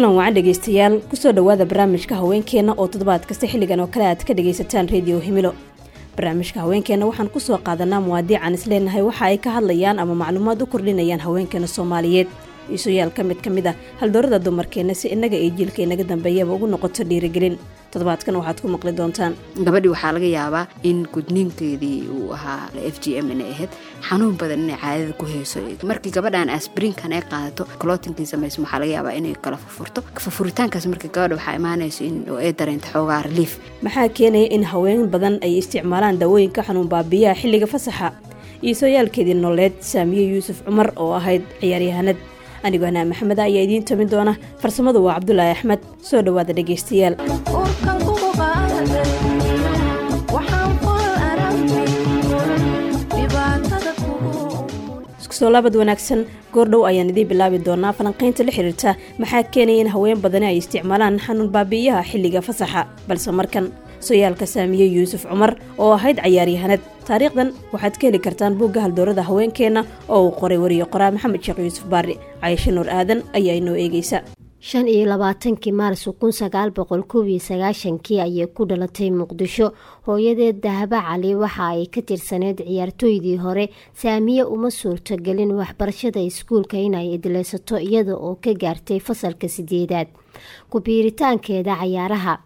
Kulan wacan dhegeystayaal, kusoo dhowaada barnaamijka haweenkeena oo toddobaad kasta xilligan oo kale aad ka dhegaysataan Rediyo Himilo. Barnaamijka haweenkeena waxaan kusoo qaadanaa muwaadiican isleenahay waxa ay ka hadlayaan ama macluumaad u kordhinayaan haweenkeena Soomaaliyeed, iisuyaal ka mid ah haldoorada dumarkeena, si innaga iyo jiilka inaga dambeeyaba ugu noqoto dhiirigelin. Toddobaadkan waxaad ku maqli doontaan: Gabadhii waxaa laga yaabaa in gudniinkeedii uu ahaa FGM, inay ahayd xanuun badan, inay caadada ku hayso. Markii gabadhan aspirinkan ay qaadato, clottingkii samayso, waxaa laga yaabaa inay kala furfurto. Furfuritaankaas marka gabadha waxaa imaanayso in ay dareento xoogaa relief. Maxaa keenaya in haween badan ay isticmaalaan daawooyinka xanuun baabiyaha xilliga fasaxa? Iyo sooyaalkeedii nololeed Saamiye Yuusuf Cumar oo ahayd ciyaaryahanad. Anigoo Hanaa Maxamed ayaa idiin tamin doona, farsamadu waa Cabdulaahi Axmed. Soo dhowaada dhegeystayaal. Isku soo laabad wanaagsan. Goordhow ayaan idiin bilaabi doonaa falanqaynta la xiriirta maxaa keenaya in haween badani ay isticmaalaan xanuun baabi'iyaha xilliga fasaxa, balse markan sooyaalka Saamiye Yuusuf Cumar oo ahayd cayaaryahanad. Taariikhdan waxaad ka heli kartaan buugga haldoorada haweenkeenna oo uu qoray wariye qoraa Maxamed Sheekh Yuusuf Baari. Cayasho Nuur Aadan ayaa inoo eegeysa. 25-kii Maarso 1991-kii ayay ku dhalatay Muqdisho. Hooyadeed Dahabo Cali waxa ay ka tirsaneyd ciyaartooydii hore. Saamiye uma suurtogelin waxbarashada iskuulka inay idleysato, iyada oo ka gaartay fasalka sideedaad. Ku biiritaankeeda cayaaraha: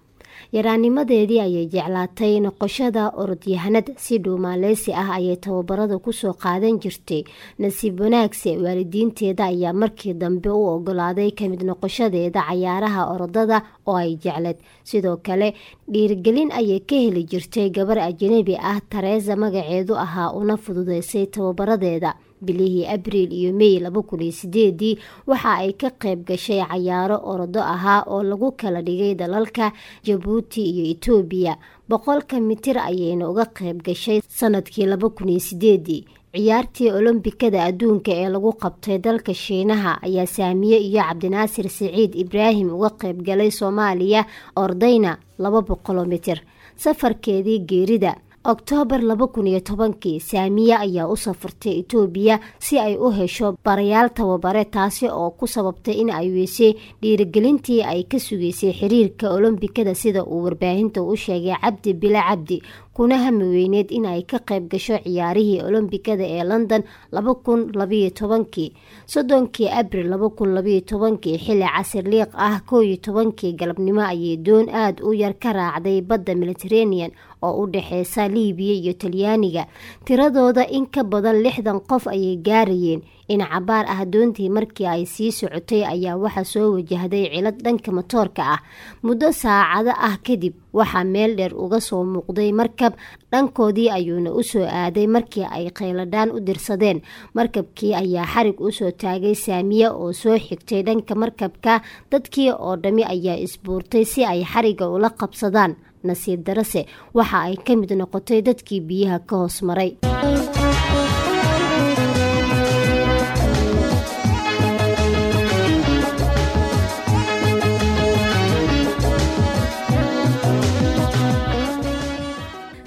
yaraanimadeedii ayay jeclaatay noqoshada orodyahanad. Si dhuumaaleysi ah ayay tababarada kusoo qaadan jirtay. Nasiib wanaagse, waalidiinteeda ayaa markii dambe u ogolaaday kamid noqoshadeeda cayaaraha orodada oo ay jecleed. Sidoo kale dhiirigelin ayay ka heli jirtay gabar ajanabi ah, Tareesa magaceedu ahaa, una fududeysay tababaradeeda. Bilihii Abriil iyo Mey 2008-dii waxa ay ka qayb gashay cayaaro orodo ahaa oo lagu kala dhigay dalalka Jabuuti iyo Itoobiya. 100-ka mitir ayayna uga qayb gashay. Sanadkii 2008-dii ciyaartii Olombikada adduunka ee lagu qabtay dalka Shiinaha ayaa Saamiye iyo Cabdinaasir Siciid Ibraahim uga qayb galay Soomaaliya, ordayna 200 mitir. Safarkeedii geerida: Oktoobar 2010-kii Saamiye ayaa u safartay Itoobiya si ay u hesho barayaal tababare, taasi oo ku sababtay in ay weysay dhiirigelintii ay ka sugeysay xiriirka Olombikada, sida uu warbaahinta u sheegay Cabdi Bile Cabdi, kuna hami weyneed in ay ka qayb gasho ciyaarihii Olombikada ee London 2012-kii. 30-kii Abril 2012-kii, xilli casir liiq ah, 11-kii galabnimo, ayay doon aada u yar ka raacday badda Mediterranean oo u dhexeysa Liibiya iyo Talyaaniga. Tiradooda in ka badan 60 qof ayay gaarayeen. In cabaar ah doontii markii ay sii socotay ayaa waxaa soo wajahday cilad dhanka matoorka ah. Muddo saacado ah kadib waxaa meel dheer uga soo muuqday markab, dhankoodii ayuuna usoo aaday markii ay qayladhaan u dirsadeen. Markabkii ayaa xarig usoo taagay Saamiye oo soo xigtay dhanka markabka. Dadkii oo dhammi ayaa isbuurtay si ay xariga ula qabsadaan. Nasiib darase, waxa ay ka mid noqotay dadkii biyaha ka hoos maray.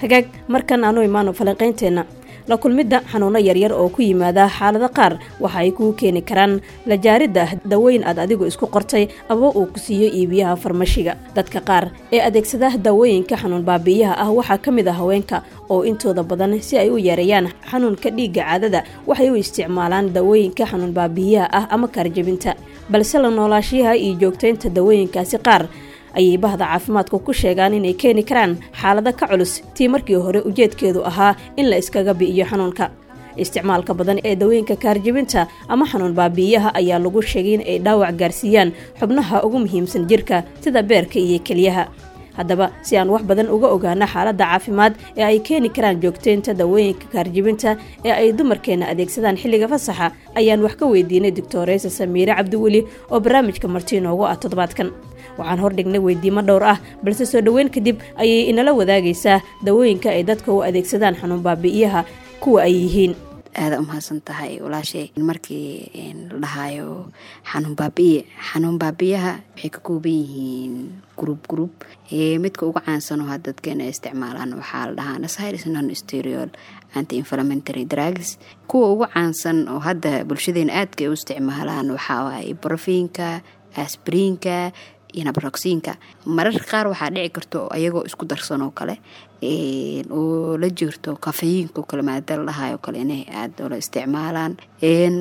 Hagaag, markan aanu imaano falanqaynteenna. La kulmidda xanuuno yaryar oo ku yimaada xaalado qaar waxa ay kuu keeni karaan la jaaridda dawooyin aad adigu isku qortay ama uu ku siiyo iibiyaha farmashiga. Dadka qaar ee adeegsada daawooyinka xanuun baabi'iyaha ah waxaa ka mid ah haweenka oo intooda badan si ay u yareeyaan xanuunka dhiigga caadada waxay u isticmaalaan daawooyinka xanuun baabi'iyaha ah ama kaarjabinta. Balse la noolaashiyaha iyo joogtaynta daawooyinkaasi qaar ayay bahda caafimaadku ku sheegaan inay keeni karaan xaalado ka culus tii markii hore ujeedkeedu ahaa in la iskaga bi'iyo xanuunka. Isticmaalka badan ee dawooyinka kaarjibinta ama xanuun baabi'iyaha ayaa lagu sheegay in ay dhaawac gaarsiiyaan xubnaha ugu muhiimsan jirka, sida beerka iyo keliyaha. Haddaba, si aan wax badan uga ogaano xaaladda caafimaad ee ay keeni karaan joogteynta dawooyinka kaarjibinta ee ay dumarkeena adeegsadaan xilliga fasaxa, ayaan wax ka weydiinay Doctoreysa Samiire Cabdiweli oo barnaamijka marti inoogu ah toddobaadkan. Waxaan hordhignay weydiimo dhowr ah, balse soo dhoweyn kadib ayay inala wadaagaysaa dawooyinka ay dadka u adeegsadaan xanuun baabi'iyaha kuwa ay yihiin. Aada umahadsan tahay walaashay. Markii la dhahaayo xanuun baabi'iye, xanuun baabi'iyaha waxay ka kooban yihiin group group. Midka ugu caansan oo had dadkeena ay isticmaalaan waxaa la dhahaa NSAIDs, non steroid anti inflammatory drugs. Kuwa ugu caansan oo hadda bulshadeena aadka ay u isticmaalaan waxaa waaye ibuprofen-ka, Aspiriinka iyo naproxenka mararka qaar waxaa dhici karto ayagoo isku darsan oo kale, oo la jirto kafeyiinka oo kale, maada la dhahayo kale, inay aada ula isticmaalaan.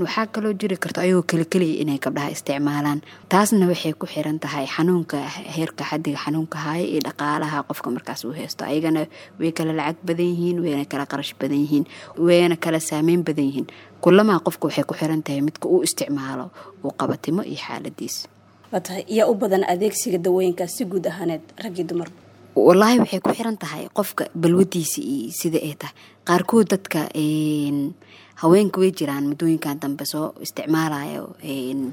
Waxaa kaloo jiri karto ayagoo keli keliya inay gabdhaha isticmaalaan. Taasna waxay ku xiran tahay xanuunka, heerka xadiga xanuunka haya iyo dhaqaalaha qofka markaas uu haysto. Ayagana way kala lacag badan yihiin, wayna kala qarash badan yihiin, wayna kala saameyn badan yihiin. Kulamaa qofka waxay ku xiran tahay midka uu isticmaalo uu qabatimo iyo xaaladiis. Waa tahay, yaa u badan adeegsiga dawooyinkaas si guud ahaaneed, rag iyo dumar? Wallaahi, waxay ku xiran tahay qofka balwadiisa iyo sida ay tahay. Qaarkood dadka haweenka way jiraan muddooyinkan dambe soo isticmaalayo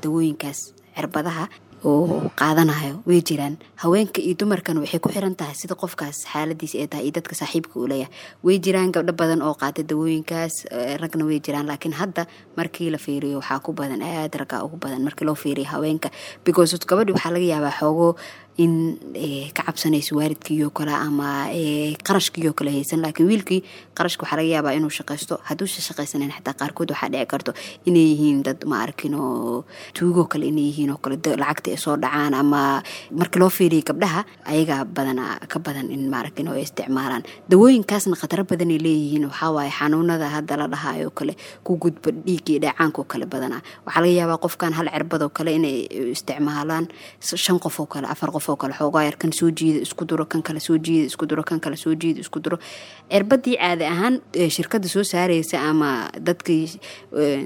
dawooyinkaas cirbadaha oo qaadanayo, way jiraan haweenka iyo dumarkan. Waxay ku xiran tahay sida qofkaas xaaladiisa ay tahay iyo dadka saaxiibka uu leeyahay. Way jiraan gabdho badan oo qaata dawooyinkaas, ragna way jiraan, laakiin hadda markii la fiiriyo waxaa ku badan aad raggaa ugu badan markii loo fiiriyo haweenka, because gabadhi waxaa laga yaabaa xoogo in ka cabsanayso waalidkiiyoo kale ama qarashkiiyoo kale haysan, laakiin wiilkii qarashka waxaa laga yaabaa inuu shaqaysto. Hadduusa shaqaysanan xataa, qaarkood waxaa dhici karto inay yihiin dad, ma arkin, oo tuugoo kale inay yihiin oo kale, lacagta ay soo dhacaan. Ama marka loo fiiriyo gabdhaha, ayagaa badanaa ka badan in, ma arkin, oo ay isticmaalaan dawooyinkaasna. Khataro badanay leeyihiin. Waxaa waaye xanuunada hadda la dhahayo kale ku gudba dhiigii dheecaanka oo kale badanaa waxaa laga yaabaa qofkan hal cirbadoo kale inay isticmaalaan shan qof oo kale, afar qof oo kale. Xoogaa yar kan soo jiida, isku duro, kan kale soo jiida, isku duro, kan kale soo jiida, isku duro. Cirbadii caadi ahaan shirkadda soo saareysa ama dadkii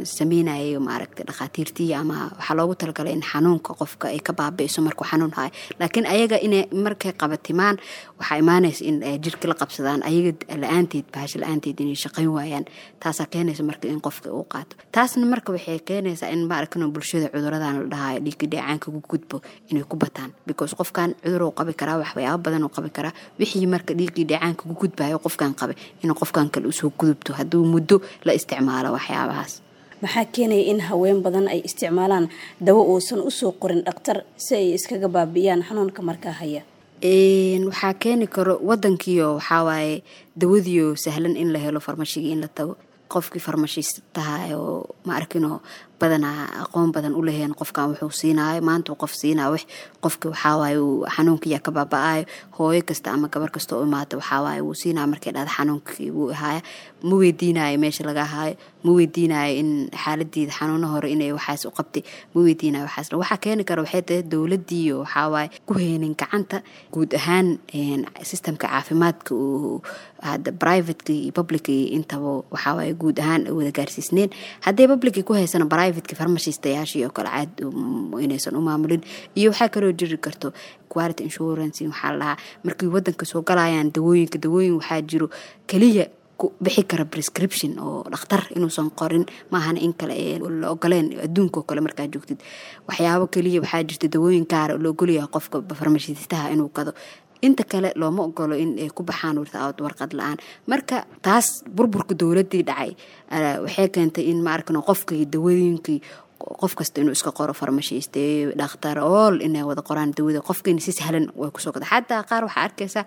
sameynayay, maaragtay, dhakhaatiirtii ama waxaa loogu talagalay in xanuunka qofka ay ka baabi'iso markuu xanuun hayo, laakiin ayaga inay markay qabatimaan waxaa imaanaysa in ay jirka la qabsadaan, ayaga la-aanteed, bahasha la-aanteed inay shaqayn waayaan. Taasaa keenaysa marka in qofka uu qaato. Taasna marka waxay keenaysaa in, maaragtay, bulshada cuduradan la dhahayo dhiigga dheecaanka ku gudbo inay ku bataan, because qofkan cudur uu qabi karaa, waxyaabo badan uu qabi karaa. Wixii marka dhiiggii dheecaanka ku gudbayo qofkan qabay inuu qofkan kale usoo gudubto hadduu muddo la isticmaalo waxyaabahaas. Maxaa keenaya in haween badan ay isticmaalaan dawo uusan usoo qorin dhakhtar si ay iskaga baabi'iyaan xanuunka markaa haya? Waxaa keeni karo wadankiio waxaa waaye dawadiio sahlan in la helo, farmashigii in la tago, qofkii farmashiistaha oo, ma arkinoo, badanaa aqoon badan u laheen qofkan wuxuu siinaayo maanta qof siinaayo wax. Qofki waxawaaye uu xanuunkiyaa ka baaba-aayo. Hooyo kasta ama gabar kasta oo imaata, waxawaaye wuu siinaya markay dhahda xanuunkii wuu ahaaya. Ma weydiinayo meesha laga haayo, ma weydiinayo in xaaladiida xanuuno hore inay waxaas u qabtay, ma weydiinayo waxaas. Waxaa keeni kara waxay tahay dowladiiyo waxawaaye ku heynin gacanta guud ahaan systemka caafimaadka uu hadda privateki iyo publicii intaba waxawaaye guud ahaan wada gaarsiisneen. Haddii publicii ku haysana, privateki farmashiistayaashii oo kale caad inaysan u maamulin. Iyo waxaa kaloo jiri karto quality insurance waxaa la dhahaa markii wadanka soo galayaan dawooyinka. Dawooyin waxaa jiro keliya ku bixi kara prescription oo dhakhtar inuusan qorin maahana in kale ee la ogoleen. Adduunka oo kale markaa joogtid, waxyaabo keliya waxaa jirta dawooyin gaara la ogolyahay qofka farmashiistaha inuu gado, inta kale looma ogolo in ay ku baxaan without warqad la-aan. Marka taas burburka dowladii dhacay waxay keentay in, ma arkano, qofkii dawooyinkii qof kasta inuu iska qoro, farmashiiste, dhakhtar, ool inay wada qoraan dawada, qofkiina si sahlan way kusoo gada. Xataa qaar waxaa arkaysaa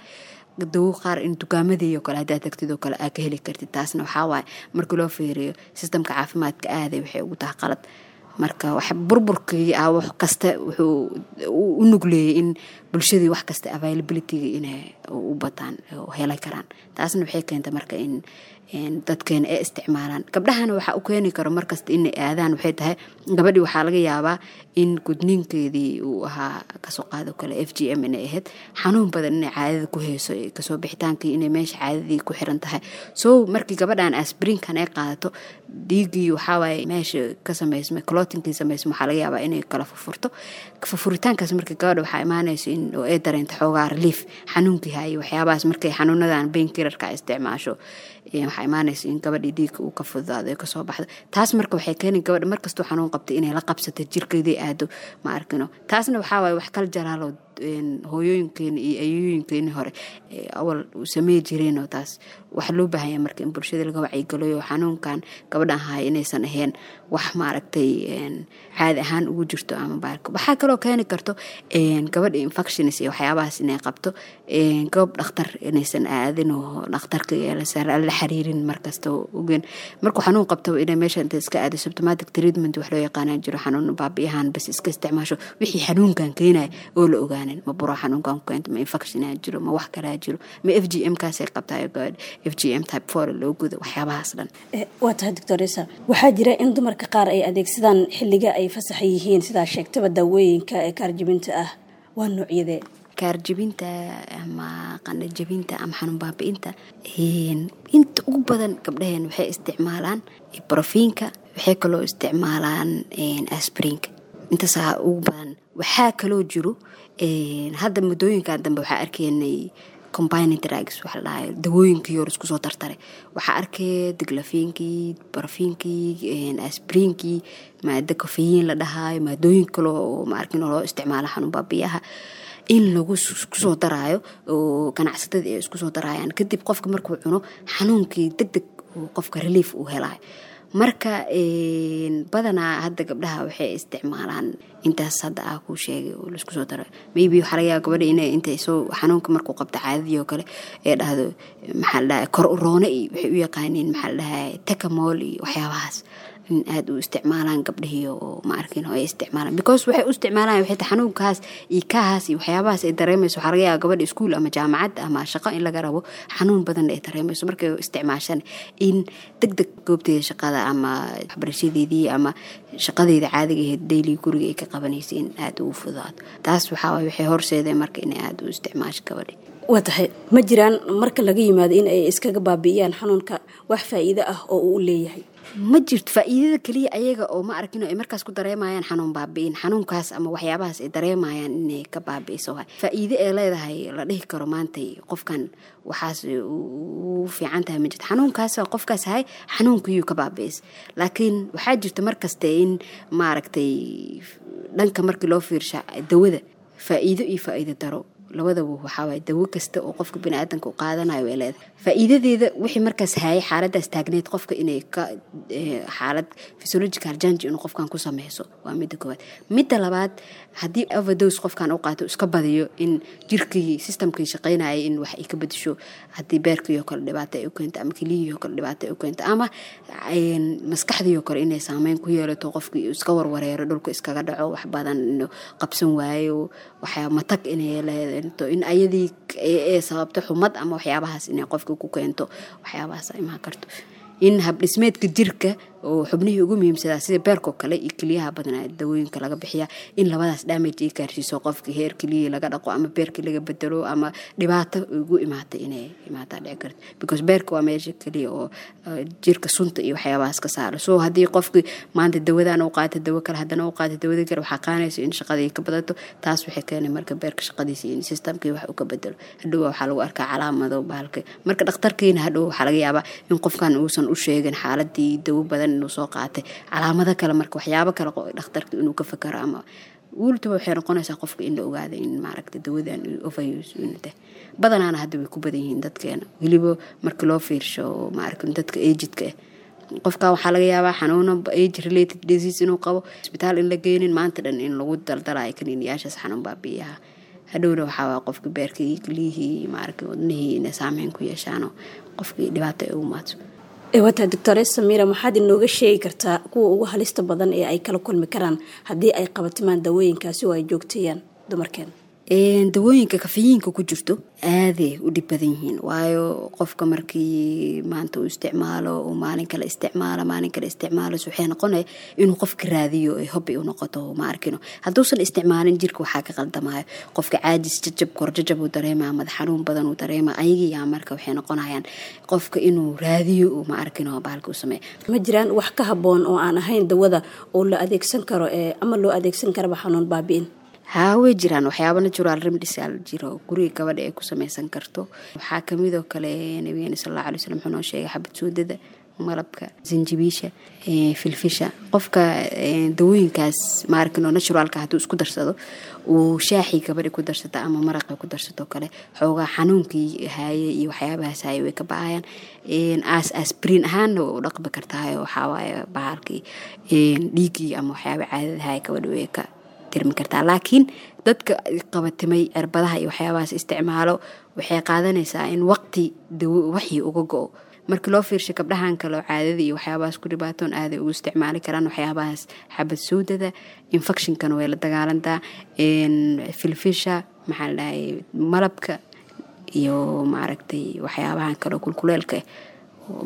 dawo qaar in dukaamadii oo kale haddaa tagtid oo kale aa ka heli kartid. Taasna waxaa waaye markii loo fiiriyo sistamka caafimaadka aaday waxay ugu tahay qalad. Marka wax burburkii ah wax kasta wuxuu u nugleeyay in bulshadii wax kasta availabilityga inay u bataan oo heli karaan. Taasna waxay keentay marka in dadkeena ay isticmaalaan. Gabdhahana waxaa u keeni karo markasta inay aadaan waxay tahay gabadhii waxaa laga yaabaa in gudniinkeedii uu ahaa, kasoo qaado kale, FGM inay ahayd, xanuun badan inay caadada ku hayso, kasoo bixitaankii inay meesha caadadii ku xiran tahay. So markii gabadhan asprinkan ay qaadato, dhiiggii waxawaaye meesha ka samaysmay, clotinkii samaysmay, waxaa laga yaabaa inay kala furfurto. Furfuritaankaas marka gabadha waxaa imaanayso in ay dareento xoogaa relief xanuunkii hayay, waxyaabahaas. Markay xanuunadan painkillerka isticmaasho, waxaa imaanaysa in gabadhii dhiigga uu ka fududaado, ay kasoo baxdo. Taas marka waxay keeni gabadha markastuu xanuun qabtay inay la qabsato jirkeedii aado, ma arkino. Taasna waxaa waaye wax kala jaraalo. Hooyooyinkeeni iyo ayooyinkeeni hore awal samey jireenoo taas waxaa loo baahanya marka in bulshada laga wacyigeliyo xanuunkan gabadhan haya inaysan ahayn wax maaragtay caadi ahaan ugu jirto ama baarka. Waxaa kaloo keeni karto gabadha infections iyo waxyaabahaas inay qabto, goob dhakhtar inaysan aadin oo dhakhtarka la xiriirin markasta ogen markuu xanuun qabto inay meesha inta iska aado. Symptomatic treatment wax loo yaqaanaa jiro, xanuun baabi'yahan bas iska isticmaasho, wixii xanuunkan keenaya oo la ogaanin, ma buro xanuunkan ku keento, ma infection jiro, ma wax kalaa jiro, ma FGM kaasay qabtaa, gabadha FGM type 4 loo gudo, waxyaabahaas dhan. Waa tahay, doctoresa. Waxaa jira in dumarka qaar ay adeegsadaan xilliga ay fasaxa yihiin, sidaa sheegtaba, daawooyinka ee kaarjibinta ah. Waa noocyadee? Kaarjibinta ama qandhajabinta ama xanuun baabi'inta, inta ugu badan gabdhaheen waxay isticmaalaan Brufen-ka, waxay kaloo isticmaalaan aspirin-ka. Intaasaa ugu badan. Waxaa kaloo jiro hadda muddooyinkan dambe waxaa arkaynay combining drugs waxa la dhahayo, dawooyinkii hore isku soo tartaray. Waxaa arkaya Diclofen-kii, Brufen-kii, aspirin-kii, maado caffeine la dhahayo, maadooyin kale oo maarkin loo isticmaalo xanuun baabiyaha in lagu isku soo daraayo oo ganacsatada ay isku soo daraayaan. Kadib qofka markuu cuno xanuunkii deg deg qofka relief uu helayo. Marka badanaa hadda gabdhaha waxay isticmaalaan intaas hadda ah kuu sheegay oo laisku soo daro. Maybe waxaa laga yaaba gabadha inay intay soo xanuunka markuu qabto caadadii oo kale ee dhahdo, maxaa la dhahay, kor uroone iyo waxay u yaqaaniin, maxaa la dhahay, Tecamol iyo waxyaabahaas in aada u isticmaalaan gabdhihii oo ma arkin oo ay isticmaalaan, because waxay u isticmaalaan waxay tahay xanuunkaas iyo kaahaas iyo waxyaabahaas ay dareemayso. Waxaa laga yaaba gabadha iskuul ama jaamacad ama shaqo in laga rabo, xanuun badan ay dareemayso. Markay isticmaashaan in deg deg goobteeda shaqada ama waxbarashadeedii ama shaqadeeda caadiga ahayd daily guriga ay ka qabanaysay in aada ugu fududaato. Taas waxaa waay waxay horseedeen marka inay aada u isticmaasho gabadhi. Waa tahay. Ma jiraan, marka laga yimaado in ay iskaga baabi'iyaan xanuunka, wax faa'iido ah oo uu leeyahay? Ma jirto. Faa'iidada keliya ayaga oo ma arkin ay markaas ku dareemayaan xanuun baabi'in, xanuunkaas ama waxyaabahaas ay dareemayaan inay ka baabi'iso waay. Faa'iido ee leedahay la dhihi karo maantay qofkan waxaas u fiican tahay ma jirto. Xanuunkaas qofkaas hay xanuunkiyuu ka baabi'is, laakiin waxaa jirta markaste in maaragtay dhanka markii loo fiirsha dawada faa'iido iyo faa'iido daro labadaba. Waxaa waay dawo kasta oo qofka biniaadanka u qaadanayo way leedahay faa'iidadeeda, wixii markaas hayay xaaladaas taagneed qofka inay ka xaalad physiological change inuu qofkan ku sameyso, waa midda koowaad. Midda labaad, haddii overdose qofkan u qaato, iska badiyo, in jirkii system-kii shaqaynayay in wax ay ka bedesho, haddii beerkii oo kale dhibaato ay u keento ama keliyihii oo kale dhibaato ay u keento ama maskaxdii oo kale inay saameyn ku yeelato, qofkii iska warwareero, dhulka iskaga dhaco, wax badan inuu qabsan waayo, waxyaa matag inay leedahay, in ayadii ee sababto xumad ama waxyaabahaas inay qofka ku keento, waxyaabahaas imaan karto, in habdhismeedka jirka oo xubnihii ugu muhiimsadaa sida beerkoo kale iyo keliyaha badanaa dawooyinka laga bixiya, in labadaas damage ay gaarsiiso qofka, heer keliyihii laga dhaqo ama beerkii laga bedelo ama dhibaato ugu imaata inay imaataa dhici karto, because beerka waa meesha keliya oo jirka sunta iyo waxyaabahaas ka saaro. So haddii qofkii maanta dawadan u qaato, dawo kale haddana u qaato, dawada kale waxaa qaanayso in shaqadii ka badato. Taas waxay keenay marka beerka shaqadiisa in system-kii wax uu ka bedelo. Hadhow waxaa lagu arkaa calaamado bahalka. Marka dhakhtarkiina hadhow waxaa laga yaabaa in qofkan uusan u sheegin xaaladii dawo badan inuu soo qaatay, calaamado kale, marka waxyaabo kale dhakhtarka inuu ka fakaro ama wultuba waxay noqonaysaa qofka in la ogaado in maaragta dawadan overuse inuu tahay. Badanaana hadda way ku badan yihiin dadkeena, weliba marka loo fiirsho maaragta dadka aged-ka ah. Qofka waxaa laga yaabaa xanuuno age related disease inuu qabo, isbitaal in la geynin, maanta dhan in lagu daldalayo kaniiniyaashaas xanuun baabi'iyaha. Hadhowna waxaa waa qofka beerkii, keliyihii, maaragta wadnihii inay saameyn ku yeeshaano, qofkii dhibaato ay ugu maato. Wata, doctore Samiira, maxaad inooga sheegi kartaa kuwa ugu halista badan ee ay kala kulmi karaan haddii ay qabatimaan dawooyinkaasi oo ay joogteeyaan dumarkeena? Dawooyinka caffeine-ka ku jirto aaday u dhib badan yihiin, waayo qofka markii maanta uu isticmaalo, uu maalin kale isticmaalo, maalin kale isticmaalo, waxay noqonaya inuu qofka raadiyo ay hobby u noqoto. Ma arkino hadduusan isticmaalin jirka waxaa ka qaldamayo, qofka caajis, jajab, korjajab uu dareemaa, madax xanuun badan uu dareemaa. Ayagiyaa marka waxay noqonayaan qofka inuu raadiyo, ma arkino, bahalka u sameeya. Ma jiraan wax ka habboon oo aan ahayn dawada oo la adeegsan karo ama loo adeegsan karaba xanuun baabi'in? Haa, way jiraan waxyaaba natural remedies aa jiro guriga gabadha ay ku sameysan karto. Waxaa kamid oo kale nabigeena sal alla alay slam wuxuu noo sheegay xabad suudada. Malabka, sanjibiisha, filfisha. Qofka dawooyinkaas maarkino naturalka hadduu isku darsado, uu shaaxii gabadhi ku darsata ama maraqa ku darsato kale, xoogaa xanuunkii haaye iyo waxyaabahaas haaye way ka ba-ayaan. Aas aspirin ahaanna way u dhaqmi kartahay. Waxawaaye bahalkii dhiiggii ama waxyaaba caadada haaye gabadhi way ka tirmi kartaa. Laakiin dadka qabatimay cirbadaha iyo waxyaabahaas isticmaalo, waxay qaadanaysaa in waqti dawo waxii uga go-o. Marka loo fiirsho gabdhahan kale oo caadada iyo waxyaabahaas ku dhibaatoon, aaday ugu isticmaali karaan waxyaabahaas. Xabad sawdada infectionkana way la dagaalantaa. Filfisha, maxaa la dhahay, malabka iyo maaragtay waxyaabahan kale oo kulkuleelka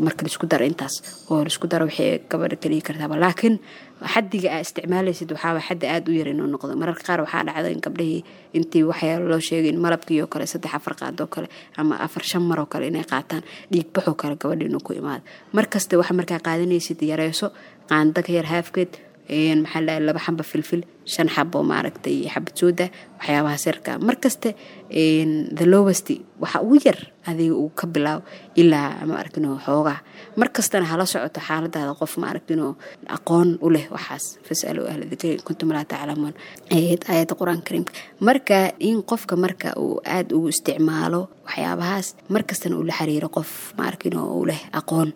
marka laisku daro, intaas oo laisku daro waxay gabadha ka dhigi kartaaba. Laakiin xaddiga aa isticmaalaysid waxaaba xaddi aada u yar inuu noqdo. Mararka qaar waxaa dhacda in gabdhihii intii waxyaalo loo sheegay in malabkii oo kale 3, 4 qaadoo kale ama 4, 5 mar oo kale inay qaataan, dhiig baxoo kale gabadha inuu ku imaado. Markasta waxa markaa qaadanaysid yareyso, qaanda ka yar haafkeed, maxaa la, 2 xamba filfil, 5 xabo maaragtay xabad sooda, waxyaabaha sirka. Markaste the lowest, waxa ugu yar adiga uu ka bilaabo ilaa ma aragtino xoogaa. Markastana hala socoto xaaladaada qof ma aragtino aqoon u leh waxaas. Fasalu ahla dikri in kuntum laa taclamuun, aayadda Qur-aanka Kariimka. Marka in qofka marka uu aada ugu isticmaalo waxyaabahaas, markastana uu la xiriiro qof ma aragtino u leh aqoon,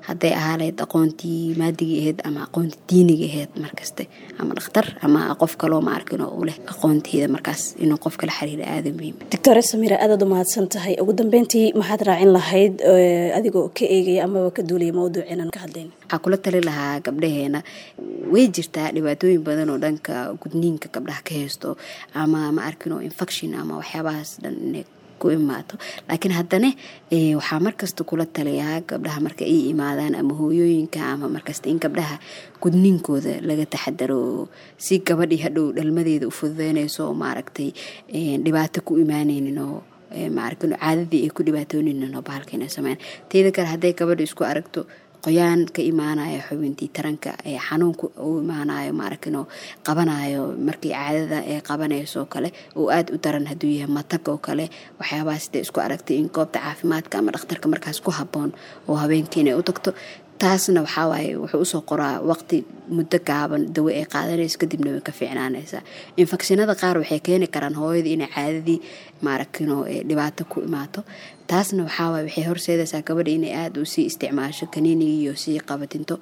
hadday ahaa lahayd aqoontii maadigii ahayd ama aqoontii diiniga ahayd, markaste ama dhakhtar ama qof kaloo ma arkin oo u leh aqoonteeda, markaas inuu qofka la xiriiro aada muhiim. Doctor Samira, aadaad u mahadsan tahay. Ugu dambeyntii maxaad raacin lahayd adigoo ka eegaya amaba ka duulaya mawduuceenan ka hadlayn? Waxaa kula tali lahaa gabdhaheena, way jirtaa dhibaatooyin badan oo dhanka gudniinka gabdhaha ka haysto ama ma arkin oo infection ama waxyaabahaas dhan inay ku imaato. Laakiin haddana waxaa markasta kula taliyaa gabdhaha marka ay imaadaan ama hooyooyinka ama markasta in gabdhaha gudniinkooda laga taxadaro, si gabadhii hadhow dhalmadeeda u fududeynayso oo maaragtay dhibaato ku imaaneynin oo maaragtay caadadii ay ku dhibaatooneynin oo bahalka inay sameyn. Teeda kale, hadday gabadha isku aragto qoyaan ka imaanayo xubintii taranka, ee xanuunka u imaanayo maaragtay qabanayo markii caadada ay qabanayso kale oo aada u daran, hadduu yahay matag oo kale, waxyaabahaas siday isku aragtay, in goobta caafimaadka ama dhakhtarka markaas ku habboon oo habeenkii inay u tagto. Taasna waxaa waaye wuxuu usoo qoraa waqti muddo gaaban dawo ay qaadanayso, kadibna way ka fiicnaanaysaa. Infekshinada qaar waxay keeni karaan hooyadii inay caadadii maaragtino dhibaato ku imaato. Taasna waxaa waaye waxay horseedaysaa gabadha inay aada u sii isticmaasho kaniinigii iyo sii qabatinto.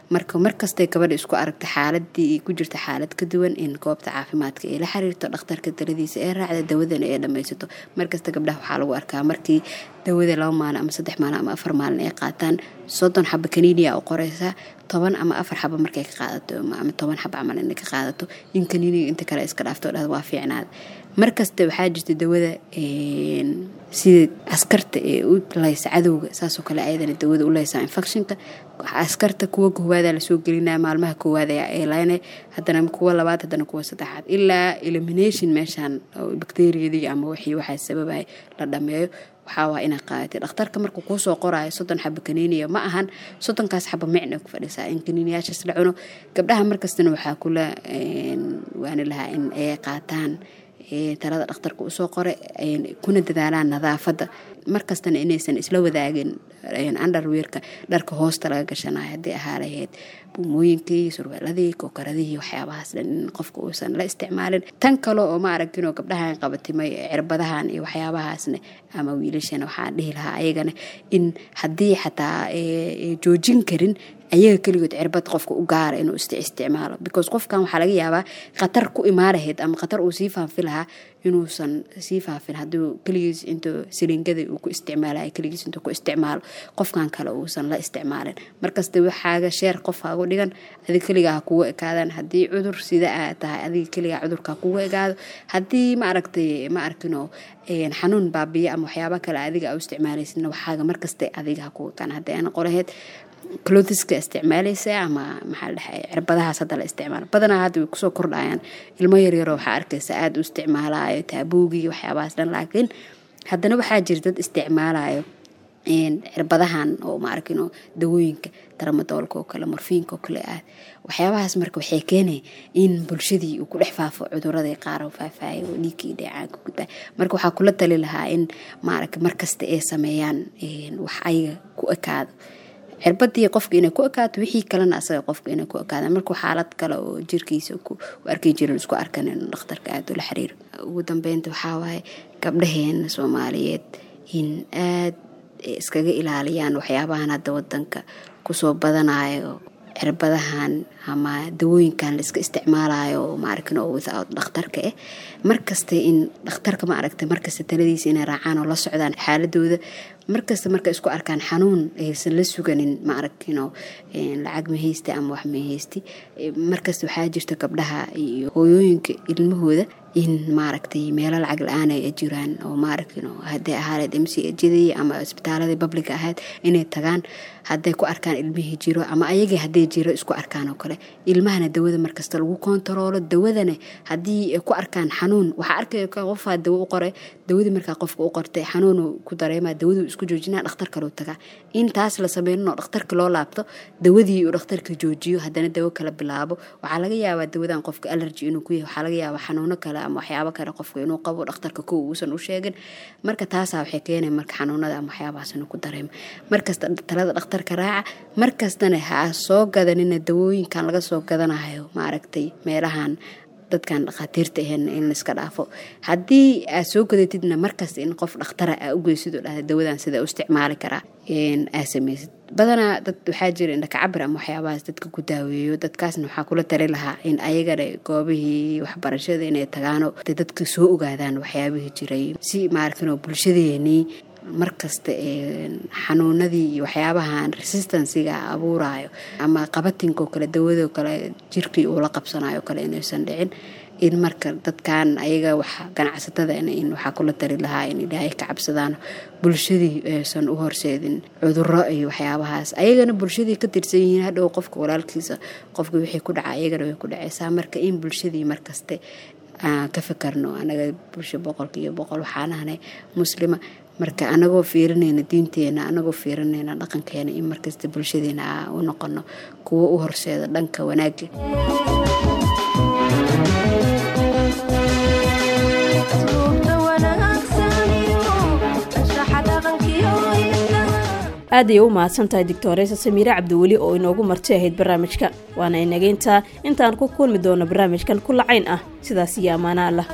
Marka markastay gabadha isku aragta xaaladii ku jirta xaalad ka duwan, in goobta caafimaadka ay la xiriirto, dhakhtarka taladiisa ee raacda, dawadana ay dhammaysato. Markasta gabdhaha waxaa lagu arkaa markii dawada 2 maalin ama 3 maalin ama 4 maalin ay qaataan, 30 xaba kaniiniya u qoreysaa, 10 ama 4 xaba markay ka qaadato ama 10 xaba camal inay ka qaadato, in kaniiniga inta kale iska dhaafto, dhahda waa fiicnaada. Markasta waxaa jirta dawada sida askarta ee u laysa cadowga, saasoo kale ayadana dawada u laysaa infectionka. Askarta kuwa koowaada lasoo gelinaya maalmaha koowaad ayaa eelaynay, haddana kuwa labaad, haddana kuwa saddexaad, ilaa elimination meeshaan bacteriyadii ama wixii waxaa sababay la dhameeyo. Waxaa waa inaad qaadatay dhakhtarka markuu kuusoo qoraayo 30 xaba kaniiniya, ma ahan 30kaas xaba micna ku fadhisaa in kaniiniyaashaas la cuno. Gabdhaha markastana waxaa kula waani lahaa in ay qaataan talada dhakhtarka usoo qoray, kuna dadaalaan nadaafadda. Markastana inaysan isla wadaagin underweerka, dharka hoosta laga gashanayo, haddii ahaa lahayd buumooyinkii, surweeladii, kookaradihii, waxyaabahaas dhan in qofka uusan la isticmaalin. Tan kale oo ma aragtinoo gabdhahan qabatimay cirbadahan iyo waxyaabahaasna ama wiilashana, waxaan dhihi lahaa ayagana in haddii xataa joojin karin ayaga keligood cirbad qofka u gaara inuu isticmaalo, because qofkan waxaa laga yaabaa khatar ku imaan lahayd ama khatar uu sii faafi lahaa inuusan sii faafin hadduu keligiis intuu siliingada uu ku isticmaalayo keligiis intuu ku isticmaalo, qofkan kale uusan la isticmaalin. Markasta waxaaga sheer qof hagu dhigan, adiga keligaa ha kugu ekaadaan. Haddii cudur sida aa tahay, adiga keligaa cudurka ha kugu ekaado. Haddii ma aragtay ma arkino xanuun baabiya ama waxyaaba kale adiga aa u isticmaalaysidna, waxaaga markasta adiga ha kugu ekaan, haddii aan qolaheed clothiska isticmaalaysa ama maxaa la dhahay cirbadahaas hadda la isticmaalo. Badanaa hadda way kusoo kordhayaan, ilmo yaryaroo waxaa arkaysa aada u isticmaalayo taabuugii, waxyaabahaas dhan. Laakiin haddana waxaa jira dad isticmaalayo cirbadahan oo ma arkino dawooyinka taramadoolka oo kale, morfiinka oo kale ah, waxyaabahaas. Marka waxay keenay in bulshadii uu ku dhex faafo cuduradii qaar oo faafaayo oo dhiigkii dheecaanka gudbaa. Marka waxaa kula tali lahaa in maaragta markasta ay sameeyaan wax ayaga ku ekaado. Cirbadii qofka inay ku ekaato, wixii kalena asaga qofka inay ku ekaadaan. Markuu xaalad kale oo jirkiisa ku arki jirin isku arkan, inuu dhakhtarka aada ula xiriiro. Ugu dambeynta waxaa waaye gabdhaheena Soomaaliyeed in aad iskaga ilaaliyaan waxyaabahan hadda wadanka kusoo badanayo, cirbadahan ama dawooyinkan la iska isticmaalayo oo maarkin oo without dhakhtarka markasta in dhakhtarka ma aragtay markasta taladiisa inay raacaan oo la socdaan xaaladooda markasta. Marka isku arkaan xanuun aysan la suganin, ma aragtino lacag ma haysti ama wax ma haysti. Markasta waxaa jirta gabdhaha iyo hooyooyinka ilmahooda in maaragtay meelo lacag la-aan ay jiraan oo maaragtino hadday ahaaneed MCHdii ama isbitaaladii public ahayd inay tagaan hadday ku arkaan ilmihii jiro ama ayagii hadday jiro isku arkaan oo kale. Ilmahana dawada markasta lagu kontaroolo. Dawadana haddii ay ku arkaan xanuun, waxaa arkaya qofaa dawo u qoray, dawadii markaa qofka u qortay xanuunu ku dareemaa, dawaduu isku joojinaa, dhakhtar kaleu tagaa. In taas la sameynin oo dhakhtarka loo laabto, dawadii uu dhakhtarka joojiyo, haddana dawo kala bilaabo. Waxaa laga yaabaa dawadan qofka allergy inuu ku yahay, waxaa laga yaabaa xanuuno kale ama waxyaabo kale qofka inuu qabo, dhakhtarka kow uusan u sheegin. Marka taasaa waxay keenay marka xanuunada ama waxyaabahaas inuu ku dareemo. Markasta talada dhakhtarka raaca, markastana ha soo gadanina dawooyinkan laga soo gadanayo maaragtay meelahan dadkan dhakhaatiirta ahayn, in laiska dhaafo. Haddii aad soo gadatidna, markasta in qof dhakhtara aa u geysid oo dhahda dawadan sida u isticmaali karaa aa sameysid. Badanaa dad waxaa jira indhakacabir ama waxyaabahaas dadka ku daaweeyo. Dadkaasna waxaa kula tali lahaa in ayagana goobihii waxbarashada inay tagaano, dadka soo ogaadaan waxyaabihii jiray, si maaragtay bulshadeenii markasta xanuunadii iyo waxyaabahan resistansiga abuurayo ama qabatinkoo kale, dawadoo kale jirkii uu la qabsanayo kale inaysan dhicin. In marka dadkan ayaga wax ganacsatada in waxaa kula tali lahaa in Ilaahay ka cabsadaan, bulshadii aysan u horseedin cuduro iyo waxyaabahaas, ayagana bulshadii ka tirsan yihiin. Hadhow qofka walaalkiisa, qofka wixii ku dhaca ayagana way ku dhaceysaa. Marka in bulshadii markaste aan ka fikarno. Anaga bulsho 100% waxaan ahnay Muslima. Marka anagoo fiirinayna diinteena, anagoo fiirinayna dhaqankeena, in markasta bulshadeena aa u noqono kuwo u horseeda dhanka wanaagga. Aad ayay u mahadsan tahay Doctoreysa Samiire Cabdiweli oo inoogu marti ahayd barnaamijka. Waana inageyntaa intaan ku kulmi doono barnaamijkan ku lacayn ah. Sidaas iyo ammaana Allah.